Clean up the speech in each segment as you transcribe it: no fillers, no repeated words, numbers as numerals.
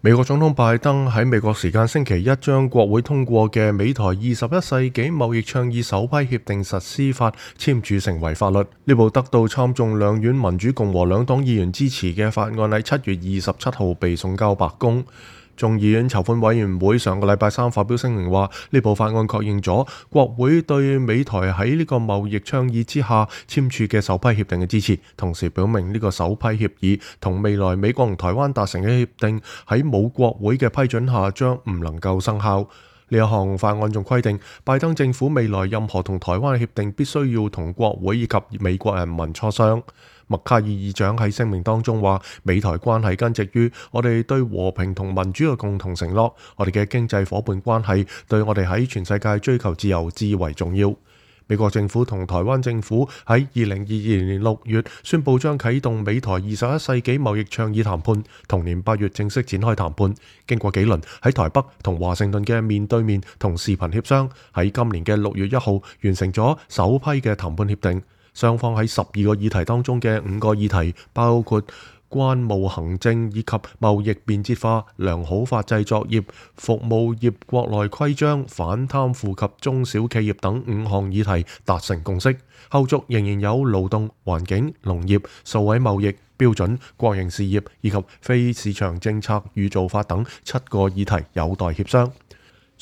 美國總統拜登喺美國時間星期一將國會通過嘅美台21世紀貿易倡議首批協定實施法簽署成為法律。呢部得到參眾兩院民主共和兩黨議員支持嘅法案喺7月27號被送交白宮。眾議院籌款委員會上個禮拜三發表聲明話，呢部法案確認咗國會對美台喺呢個貿易倡議之下簽署嘅首批協定嘅支持，同時表明呢個首批協議同未來美國同台灣達成嘅協定喺冇國會嘅批准下將唔能夠生效。呢一項法案仲規定，拜登政府未來任何同台灣嘅協定必須要同國會以及美國人民磋商。麥卡爾議長喺聲明當中話，美台關係根植於我哋對和平同民主嘅共同承諾，我哋嘅經濟夥伴關係對我哋喺全世界追求自由至為重要。美國政府同台灣政府喺2022年6月宣布將啟動美台21世紀貿易倡議談判，同年8月正式展開談判。經過幾輪喺台北同華盛頓嘅面對面同視頻協商，喺今年嘅6月1號完成咗首批嘅談判協定。雙方喺12個議題當中嘅5個議題，包括關務行政以及貿易便捷化、良好法製作業、服務業國內規章、反貪腐及中小企業等5項議題達成共識。後續仍然有勞動、環境、農業、數位貿易、標準、國營事業以及非市場政策與做法等7個議題有待協商。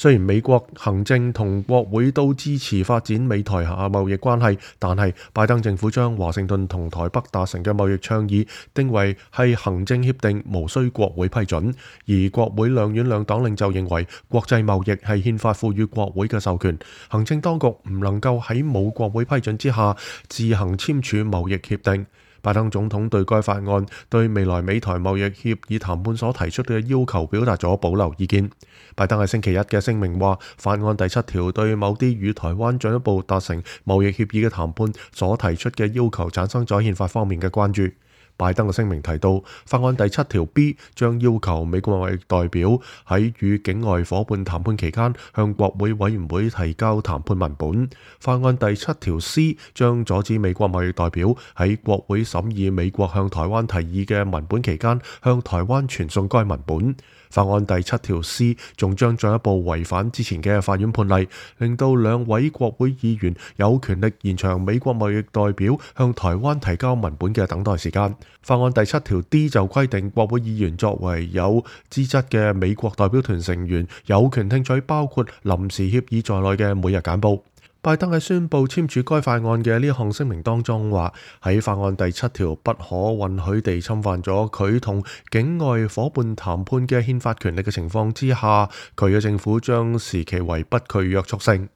雖然美國行政同國會都支持發展美台下貿易關係，但係拜登政府將華盛頓同台北達成嘅貿易倡議定為係行政協定，無需國會批准。而國會兩院兩黨領袖認為，國際貿易係憲法賦予國會嘅授權，行政當局唔能夠喺冇國會批准之下自行簽署貿易協定。拜登總統對該法案對未來美台貿易協議談判所提出嘅要求表達咗保留意見。拜登喺星期一嘅聲明話，法案第7條對某啲與台灣進一步達成貿易協議嘅談判所提出嘅要求產生咗憲法方面嘅關注。拜登嘅聲明提到，法案第7條 B 將要求美國貿易代表喺與境外夥伴談判期間向國會委員會提交談判文本。法案第7條 C 將阻止美國貿易代表喺國會審議美國向台灣提議嘅文本期間向台灣傳送該文本。法案第7條 C 仲將進一步違反之前嘅法院判例，令到2位國會議員有權力延長美國貿易代表向台灣提交文本嘅等待時間。法案第7條 D 就規定，國會議員作為有資質嘅美國代表團成員，有權聽取包括臨時協議在內嘅每日簡報。拜登喺宣布簽署該法案嘅呢項聲明當中話，喺法案第7條不可允許地侵犯咗佢同境外夥伴談判嘅憲法權力嘅情況之下，佢嘅政府將視其為不具約束性。